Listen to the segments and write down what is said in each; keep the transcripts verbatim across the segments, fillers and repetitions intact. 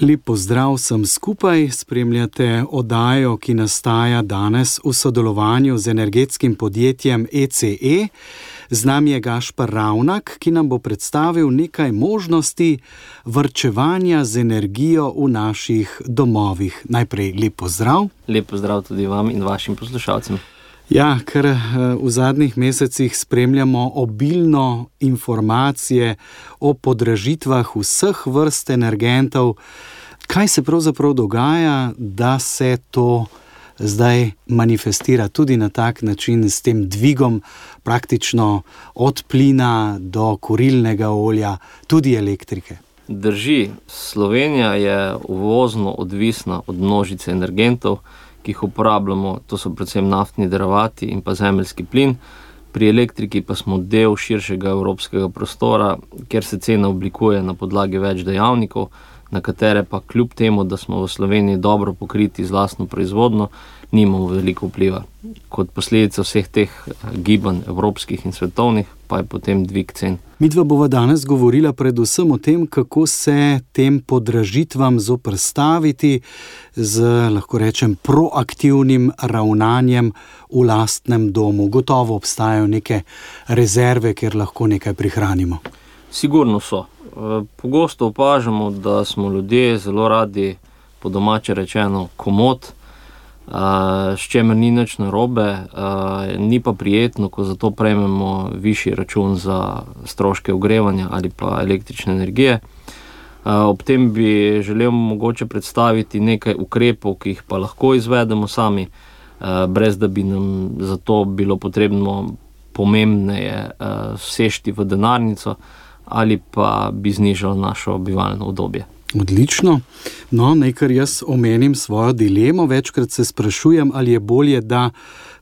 Lep pozdrav vsem skupaj, spremljate oddajo, ki nastaja danes v sodelovanju z energetskim podjetjem E C E. Z nami je Gašper Ravnak, ki nam bo predstavil nekaj možnosti varčevanja z energijo v naših domovih. Najprej lep pozdrav. Lep pozdrav tudi vam in vašim poslušalcem. Ja, ker v zadnjih mesecih spremljamo obilno informacije o podražitvah vseh vrst energentov. Kaj se pravzaprav dogaja, da se to zdaj manifestira tudi na tak način s tem dvigom praktično od plina do kurilnega olja, tudi elektrike? Drži, Slovenija je uvozno odvisna od množice energentov, ki jih uporabljamo, to so predvsem naftni derivati in pa zemeljski plin. Pri elektriki pa smo del širšega evropskega prostora, kjer se cena oblikuje na podlagi več dejavnikov, na katere pa kljub temu, da smo v Sloveniji dobro pokriti z lastno proizvodnjo, nimamo veliko vpliva. Kot posledica vseh teh gibanj evropskih in svetovnih pa je potem dvig cen. Midva bova danes govorila predvsem o tem, kako se tem podražitvam zoperstaviti z, lahko rečem, proaktivnim ravnanjem v lastnem domu. Gotovo obstajajo neke rezerve, kjer lahko nekaj prihranimo. Sigurno so. Pogosto opažamo, da smo ljudje zelo radi, po domače rečeno, komot, s čemer ni nič narobe, ni pa prijetno, ko zato prejmemo višji račun za stroške ogrevanja ali pa električne energije. Ob tem bi želel mogoče predstaviti nekaj ukrepov, ki jih pa lahko izvedemo sami, brez da bi nam zato bilo potrebno pomembneje sešti v denarnico ali pa bi znižalo našo bivalno udobje. Odlično. No, nekaj jaz omenim svojo dilemo. Večkrat se sprašujem, ali je bolje, da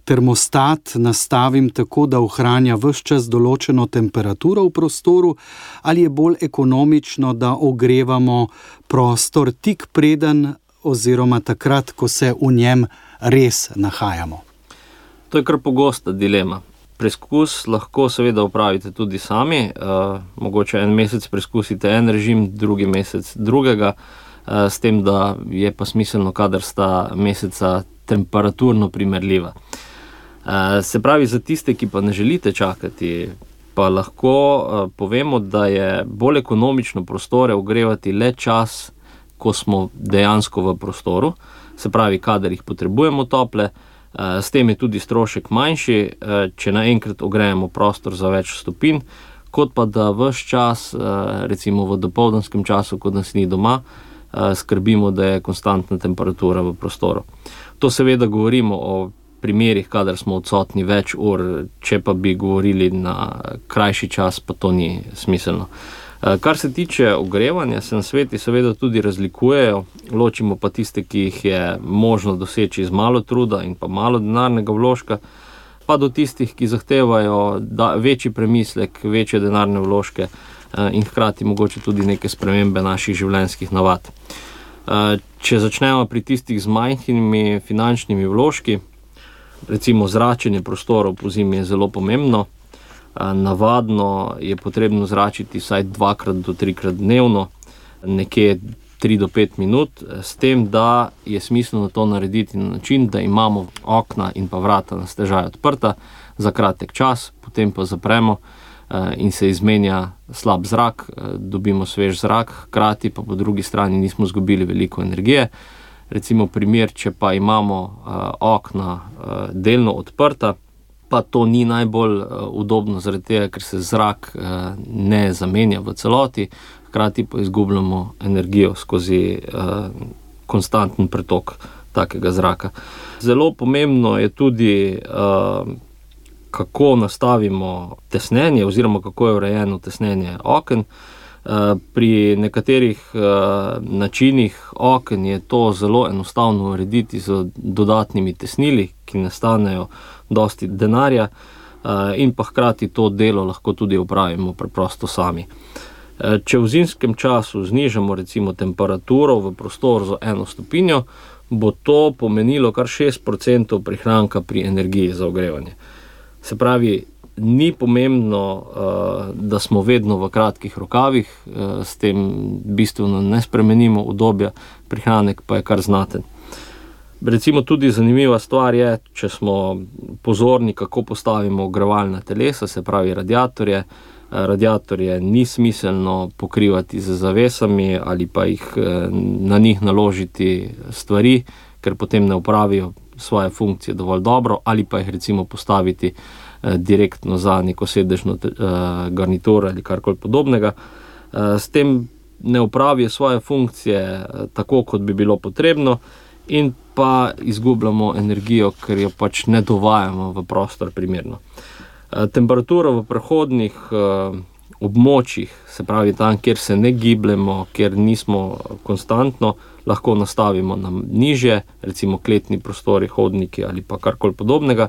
termostat nastavim tako, da ohranja ves čas določeno temperaturo v prostoru, ali je bolj ekonomično, da ogrevamo prostor tik preden oziroma takrat, ko se v njem res nahajamo. To je kar pogosta dilema. Preskus lahko seveda upravite tudi sami, e, mogoče en mesec preskusite en režim, drugi mesec drugega, e, s tem, da je pa smiselno, kadar sta meseca temperaturno primerljiva. E, se pravi, za tiste, ki pa ne želite čakati, pa lahko e, povemo, da je bolj ekonomično prostore ogrevati le čas, ko smo dejansko v prostoru, se pravi, kadar jih potrebujemo tople. S tem je tudi strošek manjši, če naenkrat ogrejemo prostor za več stopinj, kot pa da ves čas, recimo v dopoldanskem času, ko nas ni doma, skrbimo, da je konstantna temperatura v prostoru. To seveda govorimo o primerih, kadar smo odsotni več ur, če pa bi govorili na krajši čas, pa to ni smiselno. Kar se tiče ogrevanja, se na sveti seveda tudi razlikujejo, ločimo pa tiste, ki jih je možno doseči z malo truda in pa malo denarnega vložka, pa do tistih, ki zahtevajo večji premislek, večje denarne vložke in hkrati mogoče tudi neke spremembe naših življenjskih navad. Če začnemo pri tistih z majhnimi finančnimi vložki, recimo zračenje prostorov pozimi je zelo pomembno. Navadno je potrebno zračiti vsaj dvakrat do trikrat dnevno, nekje tri do pet minut, s tem, da je smiselno to narediti na način, da imamo okna in pa vrata na stežaj odprta za kratek čas, potem pa zapremo in se izmenja slab zrak, dobimo svež zrak, hkrati pa po drugi strani nismo izgubili veliko energije. Recimo primer, če pa imamo okna delno odprta, pa to ni najbolj udobno zaradi tega, ker se zrak ne zamenja v celoti, hkrati pa izgubljamo energijo skozi konstanten pretok takega zraka. Zelo pomembno je tudi, kako nastavimo tesnenje oziroma kako je urejeno tesnenje oken. Pri nekaterih načinih oken je to zelo enostavno urediti z dodatnimi tesnili, ki nastanejo dosti denarja in pa hkrati to delo lahko tudi opravimo preprosto sami. Če v zimskem času znižamo recimo temperaturo v prostoru za eno stopinjo, bo to pomenilo kar šest procentov prihranka pri energiji za ogrevanje. Se pravi, ni pomembno, da smo vedno v kratkih rokavih, s tem bistveno ne spremenimo udobja, prihranek pa je kar znaten. Recimo tudi zanimiva stvar je, če smo pozorni, kako postavimo ogrevalna telesa, se pravi radiatorje. Radiatorje ni smiselno pokrivati z zavesami ali pa jih na njih naložiti stvari, ker potem ne opravijo svoje funkcije dovolj dobro, ali pa jih recimo postaviti direktno za neko sedežno garnituro ali karkoli podobnega. S tem ne opravijo svoje funkcije tako, kot bi bilo potrebno, in pa izgubljamo energijo, ker jo pač ne dovajamo v prostor primerno. Temperatura v prehodnih območjih, se pravi tam, kjer se ne gibljemo, kjer nismo konstantno, lahko nastavimo na nižje, recimo kletni prostori, hodniki ali pa karkoli podobnega.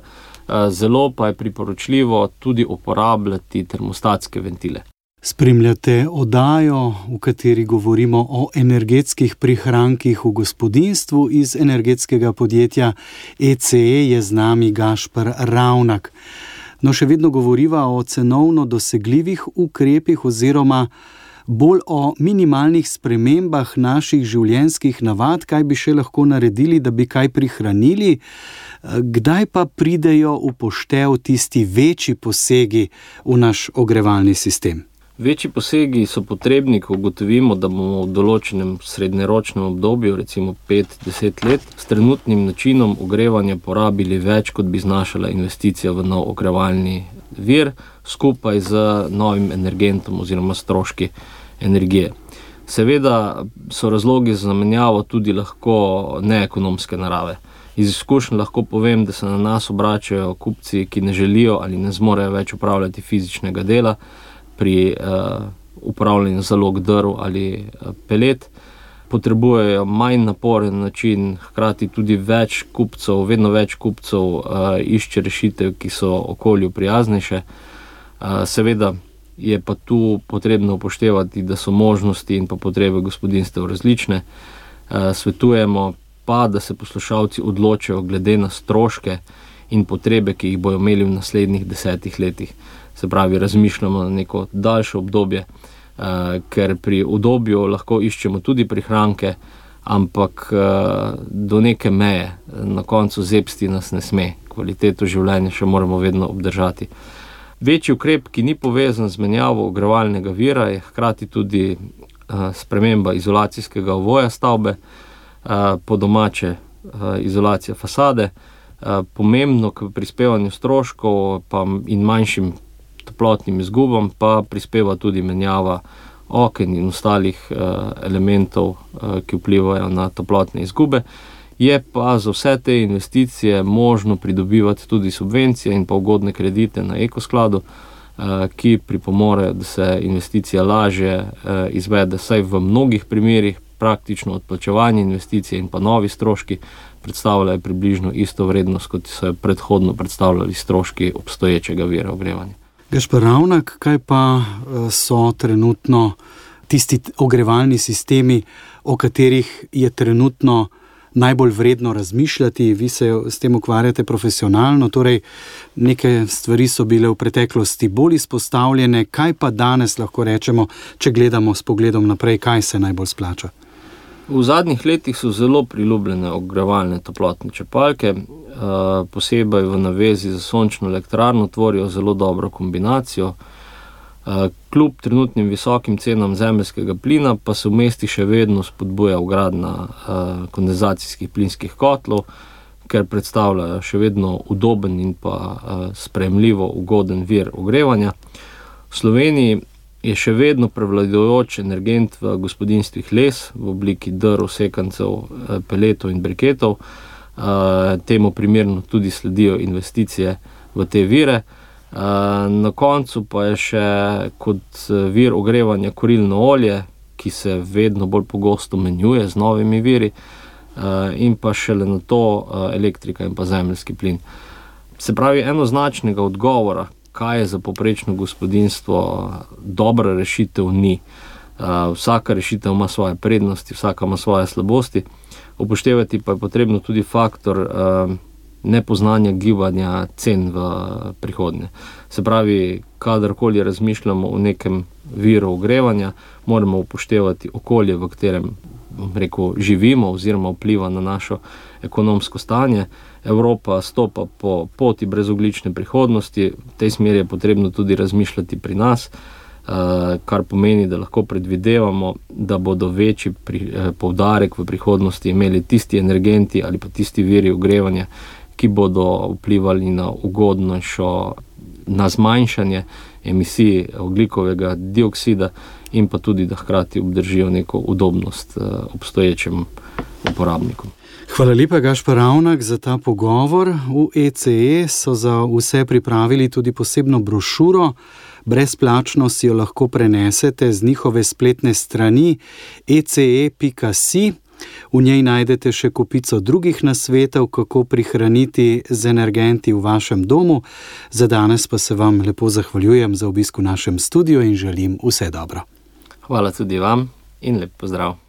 Zelo pa je priporočljivo tudi uporabljati termostatske ventile. Spremljate oddajo, v kateri govorimo o energetskih prihrankih v gospodinjstvu. Iz energetskega podjetja E C E je z nami Gašper Ravnak. No, še vedno govoriva o cenovno dosegljivih ukrepih oziroma bolj o minimalnih spremembah naših življenjskih navad, kaj bi še lahko naredili, da bi kaj prihranili. Kdaj pa pridejo v poštev tisti večji posegi v naš ogrevalni sistem? Večji posegi so potrebni, ko ugotovimo, da bomo v določenem srednjeročnem obdobju, recimo pet do deset let, s trenutnim načinom ogrevanja porabili več, kot bi znašala investicija v nov ogrevalni vir, skupaj z novim energentom oziroma stroški energije. Seveda so razlogi za zamenjavo tudi lahko neekonomske narave. Iz izkušenj lahko povem, da se na nas obračajo kupci, ki ne želijo ali ne zmorejo več upravljati fizičnega dela pri uh, upravljanju zalog drv ali uh, pelet. Potrebujejo manj naporen način, hkrati tudi več kupcev, vedno več kupcev uh, išče rešitev, ki so okolju prijaznejše. Uh, seveda je pa tu potrebno upoštevati, da so možnosti in pa potrebe gospodinjstev različne. Uh, svetujemo pa, da se poslušalci odločajo glede na stroške in potrebe, ki jih bojo imeli v naslednjih desetih letih. Se pravi, razmišljamo na neko daljše obdobje, eh, ker pri udobju lahko iščemo tudi prihranke, ampak eh, do neke meje, na koncu zebsti nas ne sme, kvaliteto življenja še moramo vedno obdržati. Večji ukrep, ki ni povezan z menjavo ogrevalnega vira, je hkrati tudi eh, sprememba izolacijskega ovoja stavbe, eh, po domače eh, izolacija fasade, eh, pomembno k prispevanju stroškov pa in manjšim toplotnim izgubam pa prispeva tudi menjava oken in ostalih uh, elementov, uh, ki vplivajo na toplotne izgube. Je pa za vse te investicije možno pridobivati tudi subvencije in pa ugodne kredite na ekoskladu, uh, ki pripomorejo, da se investicija lažje uh, izvede, saj v mnogih primerih praktično odplačevanje investicije in pa novi stroški predstavljajo približno isto vrednost, kot so predhodno predstavljali stroški obstoječega vira ogrevanja. Gašper Ravnak, kaj pa so trenutno tisti ogrevalni sistemi, o katerih je trenutno najbolj vredno razmišljati? Vi se s tem ukvarjate profesionalno, torej neke stvari so bile v preteklosti bolj izpostavljene. Kaj pa danes lahko rečemo, če gledamo s pogledom naprej, kaj se najbolj splača? V zadnjih letih so zelo priljubljene ogrevalne toplotne črpalke, posebej v navezi za sončno elektrarno tvorijo zelo dobro kombinacijo. Kljub trenutnim visokim cenam zemeljskega plina pa se v mestih še vedno spodbuja vgradnja kondenzacijskih plinskih kotlov, ker predstavljajo še vedno udoben in pa sprejemljivo ugoden vir ogrevanja. V Sloveniji je še vedno prevladujoč energent v gospodinjstvih les v obliki drv, sekancev, peletov in briketov. Temu primerno tudi sledijo investicije v te vire. Na koncu pa je še kot vir ogrevanja kurilno olje, ki se vedno bolj pogosto menjuje z novimi viri, in pa šele na to elektrika in pa zemeljski plin. Se pravi, enoznačnega odgovora, kaj je za povprečno gospodinjstvo dobra rešitev, ni. Vsaka rešitev ima svoje prednosti, vsaka ima svoje slabosti. Upoštevati pa je potrebno tudi faktor nepoznanja gibanja cen v prihodnje. Se pravi, kadarkoli razmišljamo o nekem viru ogrevanja, moramo upoštevati okolje, v katerem rekel, živimo oziroma vpliva na našo ekonomsko stanje. Evropa stopa po poti brezogljične prihodnosti, v tej smeri je potrebno tudi razmišljati pri nas, kar pomeni, da lahko predvidevamo, da bodo večji poudarek v prihodnosti imeli tisti energenti ali pa tisti viri ogrevanja, ki bodo vplivali na ugodnejšo, na zmanjšanje emisij ogljikovega dioksida in pa tudi, da hkrati obdržijo neko udobnost obstoječim uporabnikom. Hvala lepa, Gašper Ravnak, za ta pogovor. V E C E so za vse pripravili tudi posebno brošuro. Brezplačno si jo lahko prenesete z njihove spletne strani e c e pika si. V njej najdete še kopico drugih nasvetov, kako prihraniti z energenti v vašem domu. Za danes pa se vam lepo zahvaljujem za obisk v našem studiu in želim vse dobro. Hvala tudi vam in lep pozdrav.